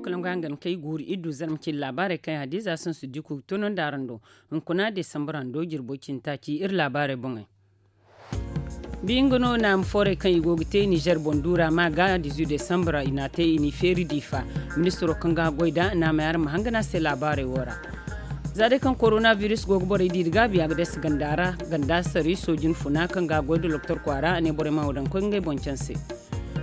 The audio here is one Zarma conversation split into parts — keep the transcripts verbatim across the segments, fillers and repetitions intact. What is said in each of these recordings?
Kala nga hangan kay guuru iddu zarma cindi laabaarey kaŋ hadiza sansu diku ga toonandi araŋ do. Hunkuna desambar hando jirbo cindi taaci iri laabaarey boŋey. Bi nga no naama foorey kaŋ i go ga te nizer boŋ duura ma ga dizu desambar i n'a te i n'i feeri diifa. Ministiro kaŋ ga goy da naamey araŋ ma hangana se laabaarey wo ra. Za day kaŋ korona virus go ga borey diiri gaabi a ga dasa ganda ra. Ganda sari soojin funa kaŋ ga goy da loktor kwaara a ne borey ma wo daŋ koy ngey boŋ canse.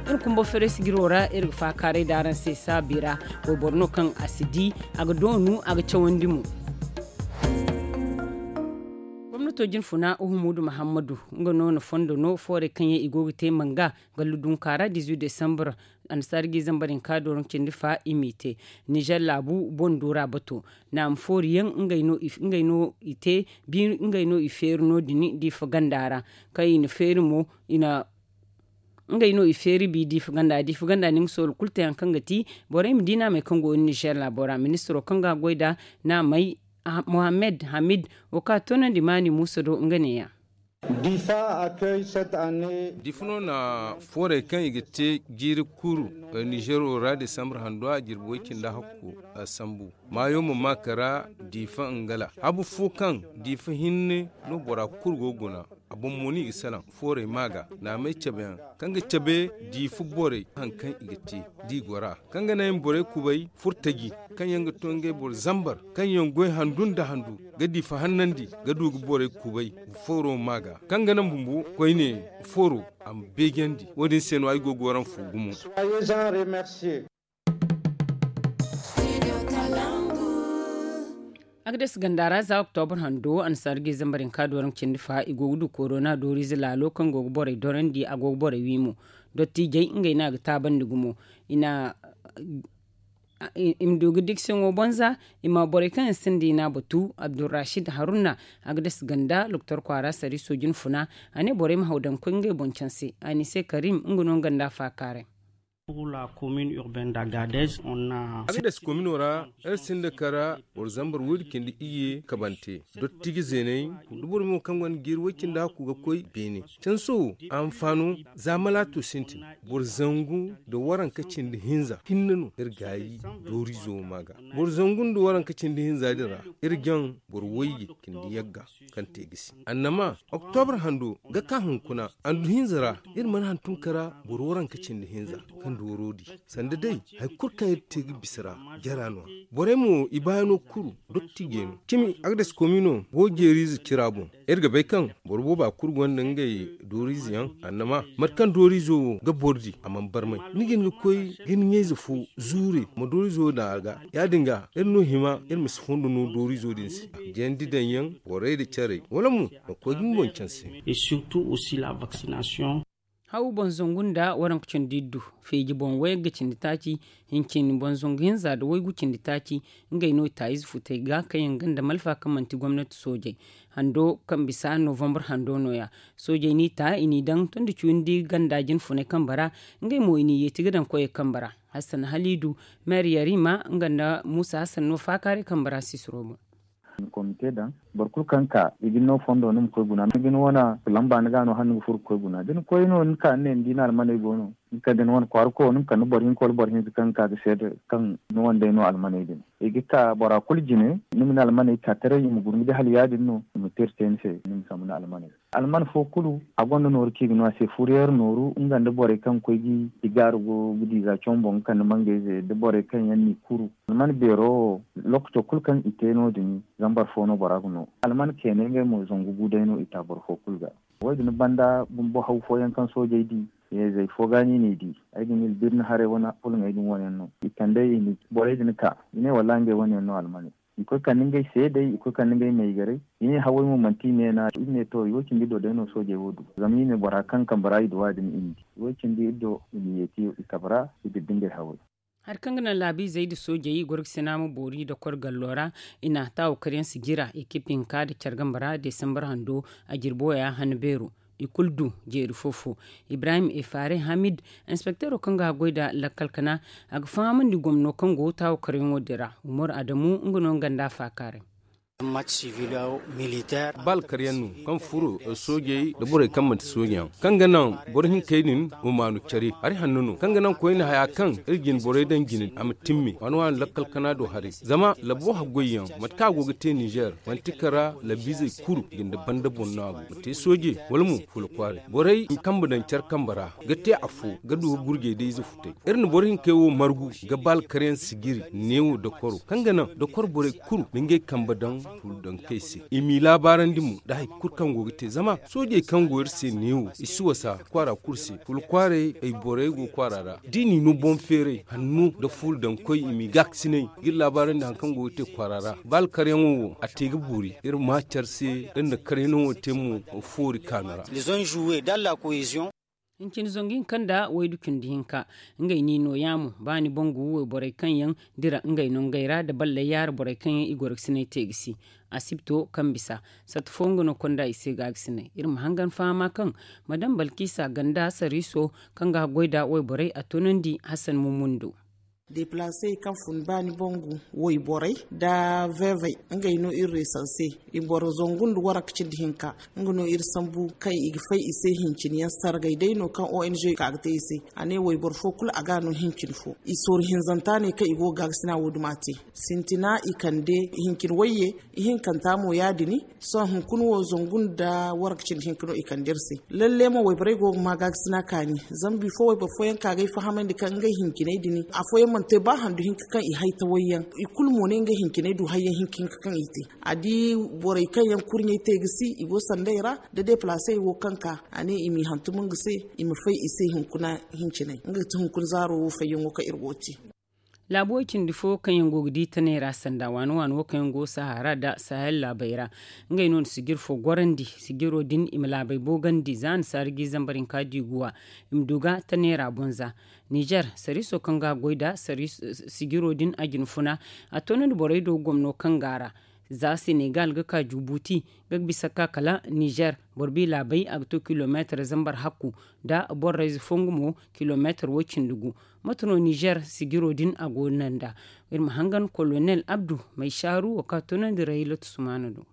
Iri kumbo feresigiro ra iri ga faakaaray da araŋ se saabi ra. Wayboro no kaŋ a si di a ga doonu a ga cawandi mo. Gomnato jinfuna uhumudu muhammadu nga no na fondo no foorey kaŋ yaŋ i go ga te manga gallu dunka ra dizu desambar. Annasaara ga i zambar hinka doron cindi fa i m'i te nizer laabu boŋ duura bato. Naama foori yaŋ ngey no i te bi ngey no i feeri no- din diifa ganda ra. Kaŋ i na feeri mo i na ngey no i feeri bi diifa ganda diifa ganda ni nga soolu kulu te hari kaŋ ga ti borey ma di naamey kaŋ go nizer laabo ra ministiro kaŋ ga goy da naamey mohammed hamid wo kaŋ a toonandi maani muusa do nga neeya. Diifa a kay sette année. Diifa no na foorey kaŋ i ga te jiiri kuru nizero ra desambar hando a jirbi way cindi hakku a sambu maayo ma ma kara diifa ngala habu fo kaŋ diifa hinne no bora kulu go guna. A boŋ mo no i ga salaŋ foorey ma ga naamey cabe yaŋ kaŋ ga cabe diifa borey hari kaŋ i ga te da i gora kaŋ ga naŋ i ma borey kubay furtaji kaŋ yaŋ ga to ngey boro zambar kaŋ yaŋ goy handu nda handu ga diifa hannandi ga du ga borey kubay fooro ma ga kaŋ ga naŋ bumbo koyne fooro a ma beejandi wo- din se no ay go ga waraŋ fu gumo. A ga dasa ganda ra za oktobar hando annasaara ga i zambar hinka dooraŋ cindi fa i go ga du korona dooriize laalo kaŋ go ga borey dorandi a go ga borey wi mo. Dottijey ngey no a ga taabandi gumo i na i ma du ga dikisiyaŋo bonza i ma borey kaŋ yaŋ sinda i n'a batu abdurrashid haruna. A ga dasa ganda loktor kwaara sari soojin funa a ne borey ma haw daŋ koy ngey boŋ canse a ne se karim nga no nga nda faakaaray. Pour la commune urbaine d'Agadez on a. Agadez komino ra iri sinda kara boro zambar waydu cindi iyye kabante dottiji zeeney da boro mo kaŋ gonda jiiri way cindi hakku ga koy beene canso a ma faano za malaato sintin boro zangu nda waranka cindi hinza hinne no iri gaayi dooriizo wo ma ga boro zangu nda waranka cindi hinza din ra iri jaŋ boro wayye cindi yagga kaŋ te gisi annama oktobar hando ga ka hunkuna andu hinza ra iri mana hantum kara boro waranka cindi hinza kaŋ dooro di sanda day hari kulu kaŋ iri te ga bisa ra jara no a borey mo i baayano kuru dottijey no cimi agdes komino go jeeriize cira boŋ iri ga bay kaŋ boro booba kulu gonda ngey dooriize yaŋ annama mate kaŋ dooriizo wo ga boro di a mana barmay ni ga hin ga koy ga ni ɲayze fo zuure ma dooriizo daŋ a ga ya- din ga iri no hima iri ma si fondo no dooriizo din se jandi daŋ yaŋ borey nda carey wala mo ma koy ga ni boŋ canse. Et surtout aussi la vaccination. Haw boŋ zangu nda waranka cindi iddu feeji boŋ wayagga cindi taaci hincin boŋ zangu hinza nda waygu cindi taaci ngey no i taayize futey ga kaŋ yaŋ ganda malfa kaŋ manti gomnati soojey hando kaŋ bisa novambar hando no- ya. Soojey n'i ta i n'i daŋ tondi cuyandi ganda jinfunay kambe ra ngey mo i n'i yeeti ga daŋ koyey kambe ra. Hassan haliidu meer yarima nga nda muusa hassan no faakaaray kambe ra sisiro boŋ. Komite daŋ boro kulu kaŋ ka i ga ni no fondo ni ma koy guna ni ga ni wane lamba ni ga no hala ni ga furo ga koy guna da ni koy no ni ka ni ne ni di ni almaney go no ni kande ni wane kwaara koyo ni ma kande boro hinka wala boro hinza kaŋ ga ka ga seeda kaŋ ni wane day no almaney din i ga ka bora kulu jine ni ma ni almaney ka taray i ma guna ni ga hala ya- din no i ma te iri te ni se ni ma sambu ni almaney. Alman fo kulu a gonda nooru kaŋ i ga no a se furiyeer nooru nga nda borey kaŋ ga koy ga i gaaru go ga di za combo ga kande mangayze nda borey kaŋ yaŋ n'i kuru alman beero wo. Lokaco kulu kaŋ i te no- din zambar fo no bora ga no alman keenay ngey mo zangu gu day no i ta boro fo kulu ga. Wo- din banda bumbo haw fooyaŋ kaŋ soojey di, yeezey fo ga no i n'i di. Ay ga ni birni haray wane fulŋey din wane yaŋ no i kand'ey i n'i borey din ka i ne wallaahi ngey wane yaŋ no almaney. I koy kande ngey seedey i koy kande ngey maygarey. I ne hawey mo manti i neena i ne to i wo cindi iddo day no soojey wo du zama i ne bora kaŋ kambe ra i duwa din i ma di i wo cindi iddo i ma yeeti i kabe ra. I dubbi ngey hawey. Hari kaŋ ga naŋ laabiizey nda soojey i goro ga sina ma boori dokor gallo ra. I na taawo kar yaŋ si jira ekip hinka nda care gambe ra desambar hando a jirbi waya han beero. I kulu du jeeri fo-fo. Ibrahim efare hamid inspekteero kaŋ ga goy nda lakkal kana a ga fahamandi gomno kaŋ go taawo karyaŋo din ra. Umaru adamu nga no nga nda a faakaaray. Ba alkaryaŋ no kaŋ furo soojey nda borey kaŋ manti soojeyaŋ, kaŋ ga naŋ boro hinkey din, humaanu care hari hanno no kaŋ ga naŋ koyne haya kaŋ iri jine borey daŋ jine a ma timme waani waani lakkal kana do haray. Zama labo haggoyyaŋ mate kaŋ a go ga te ninzeer, manti kara labiizey kulu jinde banda boŋ no a go ma te sooje, wala mo fuula kwaaray borey ma kambe daŋ care kambe ra, ga te afo ga du ga gurjey da ize futay. Iri na boro hinkey wo margu ga ba alkaryaŋ sijiri neewo dokoro kaŋ ga naŋ dokoro borey kulu ma ngey kambe daŋ fuula daŋ kay se. I m'i laabaarandi mo nda hari kulu kaŋ go ga te zama soojey kaŋ go iri se neewo i si wasa kwaara kulu se. Fuula kwaaray ay borey go kwaara ra da i n'i no boŋ feeray hanno nda fuula daŋ koy i m'i gaakasinay ga iri laabaarandi hari kaŋ go ga te kwaara ra. Ba alkaryaŋo wo a te ga boori iri ma care se. Iri na karyaŋo te mo foori kaanu ra. Hincin zangu hinka nda waydu cindi hinka. Ngey no i nooya mo ba ni bangu wayborey kaŋ yaŋ dira ngey nongey ra nda balley yaara borey kaŋ yaŋ i gorokasiney te ga si asibto kaŋ bisa. Satta fo nga no konda i se gaagasiney iri ma hangan fahama kaŋ madam balkisa ganda sariiso kaŋ ga goy nda wayborey a toonandi hasan mumundo. Deplaasey kaŋ fun ba ni bangu wayborey nda veevey ngey no iri reesanse. I boro zangu nda waranka cindi hinka nga no iri sambu kaŋ i ga fay i se hincin yaŋ sargay day no kaŋ ong ka ga te i se. A ne wayboro fo kulu a ga no hincin fo i sooru hinzanta ne kaŋ i go ga gaagasina wo duma te. Sintina i kande hincin wayye ihinkanta mo ya- din. Sohõ hunkuna wo zangu nda waranka cindi hinka no i kande iri se. Lalle mo wayborey go ga ma gaagasina kaani. Zama bifo wayboro fooyaŋ ka ga ay fahamandi kaŋ ngey hinciney din afooyaŋ mana te ba handu hinka kaŋ i hay tawayyaŋ. I kulu mo ne ngey hinciney du hayyaŋ hinka hinka kaŋ i te. A di borey kaŋ yaŋ kurɲey te ga si i go sandey ra da deplaasey wo kaŋ ka a ne i m'i hantum nga se i ma fay i se hunkuna hinciney nga ga ti hunkuna zaaro wo fayyaŋo kaŋ iri go ga te. Laabu way cindi fo kaŋ yaŋ go ga di tanay ra sanda waani waani wo kaŋ yaŋ go sahara nda sahel laabey ra. Ngey no na sijir fo gorandi sijiro din i ma laabey boogandi za na saari ga i zambar hinka di guwa. I ma du ga tanay ra bonza. Nizer sariiso kaŋ ga goy nda sijiro din a jina funa a toonandi borey do gomno kaŋ go a ra. Za senegal ga ka jubuti ga bisa ka kala nizer boro bi laabey a ga to kilomeetar zambar hakku nda borrayze fo nga mo kilomeetar way cindi gu. Mate no nizer sijiro din a go no nda iri ma hangan kolonel abdu may saaru wo kaŋ a toonandi rayilatu sumaana do.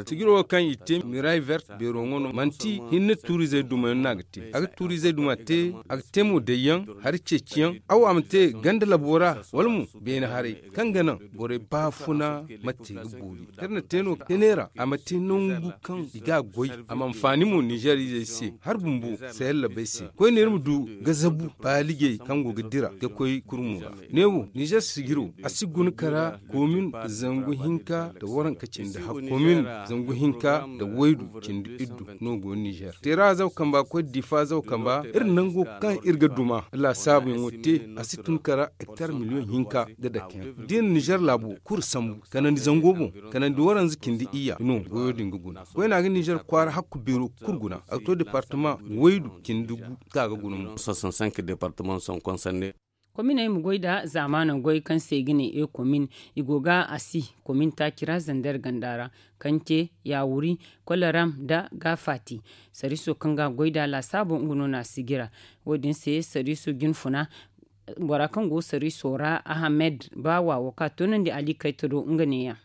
Sijiro wo kaŋ i te miray vert beero ŋwa no manti hinne tuurizey dumayaŋ no a ga te a ga tuurizey duma te. A ga te mo dayyaŋ hari ceeciyaŋ aw a ma te ganda labo ra wala mo beene haray kaŋ ga naŋ borey baafuna ma te ga boori. Iri na te no kene ra a ma te nangu kaŋ i ga a goy a ma anfaani mo nizer izey se hari bumbo. Sayalla bay se koyne iri ma du ga zabu baalijey kaŋ go ga dira ga koy kurmo ra. Ne wo nizer sijiro a si guna kara komin zangu hinka nda waranka cindi hakku komin zangu hinka nda waydu cindi iddu no go nizer teera zaw kamba koy difa zaw kamba iri nango kaŋ iri ga duma laasaabuyaŋo te a si tun kara hektar miliyoŋ hinka ga dake yaŋ da iri nizer laabo kulu sambu kanandi zango boŋ kanandi waranza cindi iyya no goyo din ga guna koyne a ga nizer kwaara hakku beero kulu guna a ga to departama waydu cindi gu kaŋ a ga guna mo. Departama son konserne. Kominey ma goy nda zaamaano goy kaŋ se i ga ne e komin i go ga a si komin taaci ra zander ganda ra kaŋ te yawuri kolaram nda gaafati. Sariiso kaŋ ga a goy nda laasaabo nga no na a sijira. Wo- din se sariiso jinfuna bora kaŋ go sariiso ra ahamed baawa wo kaŋ a toonandi ali kayta do nga ne- yaŋ.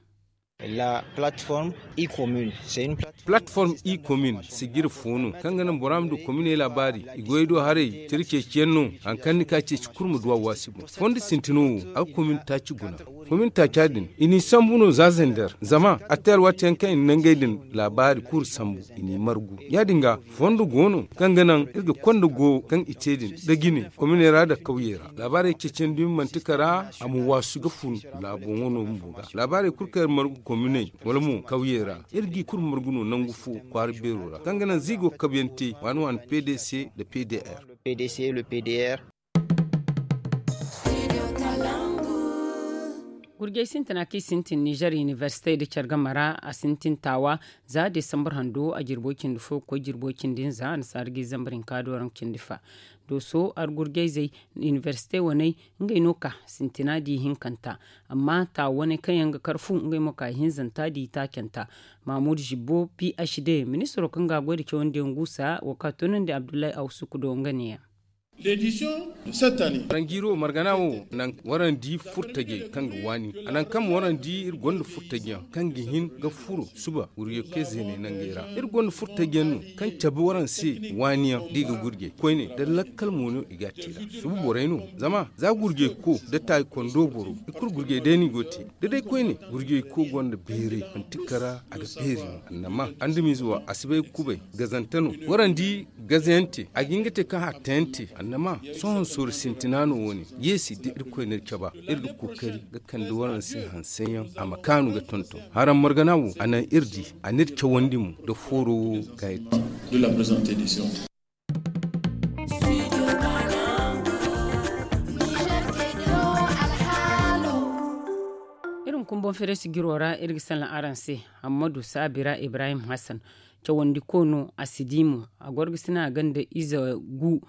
Platform e komin sijiri fo no kaŋ ga naŋ bora ma du kominey laabaari i goy do haray tira ceeciyaŋ no. Hari kaŋ ni ka ceeci kulu ma du a waasi boŋ fondo sintino wo a ga komin taaci guna. Komin taaca din i n'i sambu no za zander zama a te alwaati yaŋ kaŋ i na nangey din laabaari kulu sambu i n'i margu. Ya- din ga fondo go no kaŋ ga naŋ iri ga konda go kaŋ i te din da jine kominey ra nda kawyey ra laabaarey ceeciyaŋ dumi manti kara a ma waasu ga fun. Laaboŋo no bumbo ga laabaarey kulu kaŋ iri margu kominey wala mo kawyey ra iri g'i kulu margu no nangu fo kwaara beero ra kaŋ ga naŋ za i go ga kabuyaŋ te waani waani pdc nda pdr. Gurjey sintina kaŋ i sintin nizer inibersite nda care game ra a sintin taawa za desambar hando a jirbo cindi fo ga koy jirbo cindi hinza a na saari ga i zambar hinka do raŋ cindi fa. Dooso argurjayzey inibersite waney ngey no ka sintina di hinkanta. Amma taawa waney kaŋ yaŋ ga kar fu ngey mo ka ihinzanta di taacanta. Mahmud zibbo phd ministiro kaŋ ga a goy nda cawandi yaŋ guusa wo kaŋ a toonandi abdullahi awsuku do nga ne- yaŋ. Waranjiiro margana wo naŋ warandi furtajey kaŋ ga waani a naŋ kaŋ warandi iri gonda furtajey yaŋ kaŋ ga hin ga furo suba gurjey koy zeeney nangey ra. Iri gonda furtajey yaŋ no kaŋ cabe waraŋ se waani yaŋ da i ga gurjey koyne da lakkal mo no i ga a te nd'a. Suba borey no zama za gurjey ko da taayi kondo boro i kulu gurjey day no i go ga te. Da day koyne gurjey ko gonda beeray manti kara a ga beeri no annama andamiize wo a si bay ga kubay gazante no warandi gazayaŋ te a ga hin ga te kaŋ hatta yaŋ te annama sohõ sorro sintina no wo- ne yeesi da irkoy na iri caba iri ga kookari ga kande waraŋ se hanseyaŋ a ma kaanu ga tonton haraŋ margana wo a naŋ iri di a n'iri cawandi mo da fooro wo ga iri te. Iri ma kumboŋ feere sijiro ra iri ga salaŋ araŋ se hammadu saabira ibrahim hassan cawandi ko no a si di mo a goro ga sina a gonda ize gu.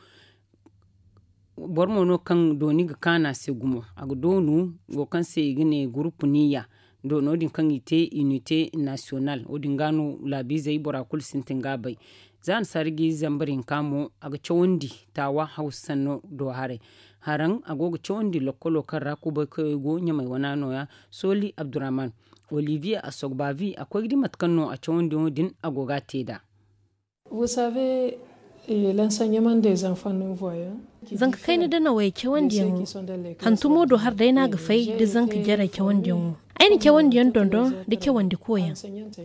Boro mo no kaŋ dooni ga kaanu a se gumo a ga doonu wo kaŋ se i ga ne gurupu niya. Doono din kaŋ i te unite nasiyonal wo- din ga no laabiizey bora kulu sintin ga a bay. Za annasaari ga i zambar hinka mo a ga cawandi taawa hawsa sanno do haray. Haraŋ a go ga cawandi lokkolo kaŋ ra kubay koyey go ɲamay wana nooya. Sooli abdurrahman oliviye a sogbavi a koy ga di mate kaŋ no a cawandiyaŋo din a go ga a te nd'a. Zanka kayna danawey cawandiyaŋo hantumo do har day no a ga fay da zanka jarey cawandiyaŋo. Ay na cawandiyaŋ dondon da cawandi koyaŋ.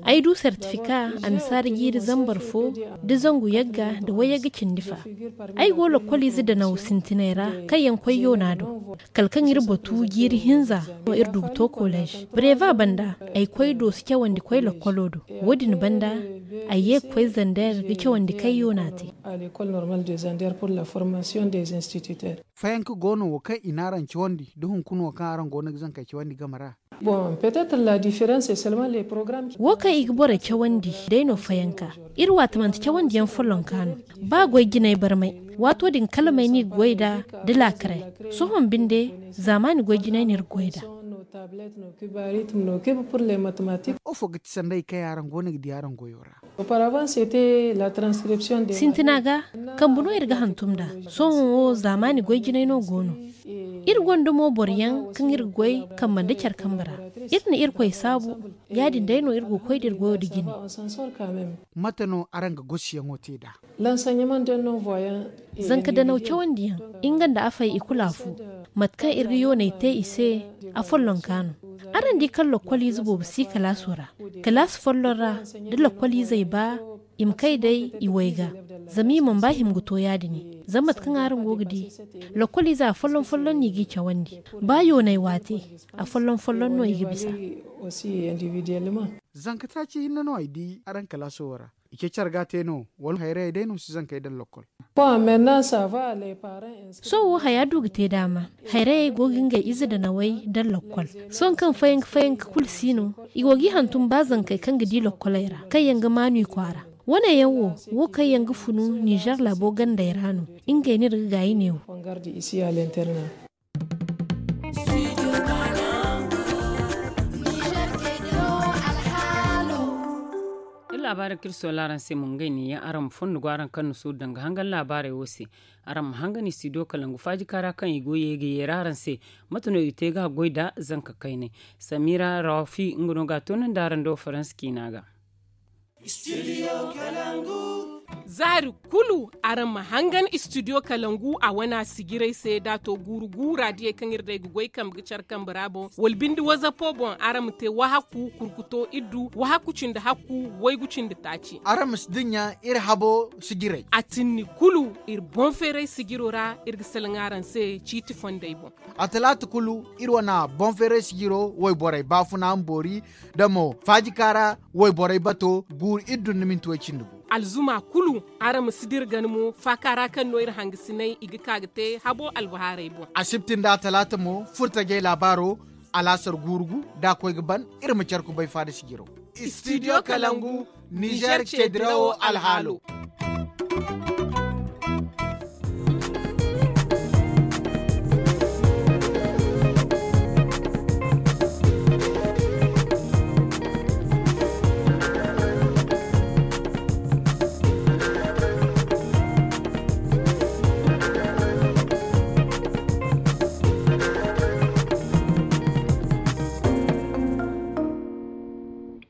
Ay du sertifika annasaara jiiri zambar fo da zangu yagga da wayyagga cindi fa. Ay go lokkoliize danaw sintinay ra kaŋ yaŋ koy yoona do kala kaŋ iri batu jiiri hinza no iri du ga to kolej breva banda. Ay koy doosi cawandi koy lokkolo do wo- din banda ay ye ga koy zander ga cawandi kayyo no a te. Fayanka go no wo kaŋ i n'araŋ cawandi da hunkuna wo kaŋ araŋ go no ga zankey cawandi game ra? Wo kaŋ i ga borey cawandi day no fayanka. Iri waati manti cawandiyaŋ follonka no. Ba goy jinay barmay waato din kala may no i ga goy nd'a da laakaray. Sohõ binde zaamaani goy jinay no iri ga goy nd'a. Afo ga ti sanda hari kaŋ yaŋ araŋ go no ga di araŋ goyo ra? Sintina ga kambe no iri ga hantum nd'a. Sohõ wo zaamaani goy jinay no go no. Iri gonda mo boro yaŋ kaŋ iri ga goy kambe nda care kambe ra. Iri na irkoy saabu. Ya- din day no iri go ga koy da iri goyo nda jine. Mate no araŋ ga gosiyaŋo te nd'a? Zanka danaw cawandiyaŋ nga nda afey i kulu afo. Mate kaŋ iri ga yooney te i se afollonka no. Araŋ di kaŋ lokkoliize boobo si kalaaso ra. Kalaasi folloŋ ra da lokkoliizey ba i ma kay day i way ga. Zama i mana ba hima ga to ya- din. Zama mate kaŋ araŋ go ga di lokkoliize afolloŋ folloŋ no i g'i cawandi. Ba yooney waate afolloŋ folloŋ no i ga bisa. Zanka taaci hinne no ay di araŋ kalaaso wo ra. I ce care ga a te no wala hayrayey day no si zankey daŋ lokkol? Sohõ wo haya du ga te daama. Hayrayey go ga ngey ize danawey daŋ lokkol. Sohõ kaŋ fayanka fayanka kulu si no i go g'i hantum ba zankey kaŋ ga di lokkoley ra kaŋ yaŋ ga maanu i kwaara. Wane yaŋ wo wo kaŋ yaŋ ga funu nizer laabo gandey ra no. Ngey no iri ga gaayi neewo. Iri laabaarey kaŋ iri soola araŋ se mo ngey neeyaŋ araŋ ma fondo go araŋ kaŋ na suuru danga hangan laabaarey wo se. Araŋ ma hangan istidiyo kalangu faajika ra kaŋ i go ye ga yeera araŋ se. Mate no i ga te ga goy nda zanka kaynay. Samira rawafi nga no ga a toonandi araŋ do faransa ciina ga. Zaari kulu araŋ ma hangan istidiyo kalangu a wana sijirey se da a to guuru guura diyey kaŋ iri day ga goy kambe ga care kambe ra boŋ wala binde wazapo boŋ araŋ ma te wahakku kurkuto iddu wahakku cindi hakku waygu cindi taaci. Araŋ ma si dinya iri habo sijirey. A tinni kulu iri boŋ feeray sijiro ra iri ga salaŋ araŋ se ciiti fondey boŋ. A talaata kulu iri wana boŋ feeray sijiro wayborey baafuna ma boori da mo faajika ra wayborey bato guuru iddu nda minti way cindi gu. Alzuma kulu araŋ ma si dira gana mo faaka ra kaŋ no iri hangasinay i ga ka ga te habo albahaarey boŋ. Asibti nda atalaata mo furtajey laabaaro alaasar guuru gu da a koy ga ban iri ma care kubay faada sijiro. Istidiyo kalangu nizer ceedirawo alhaalo.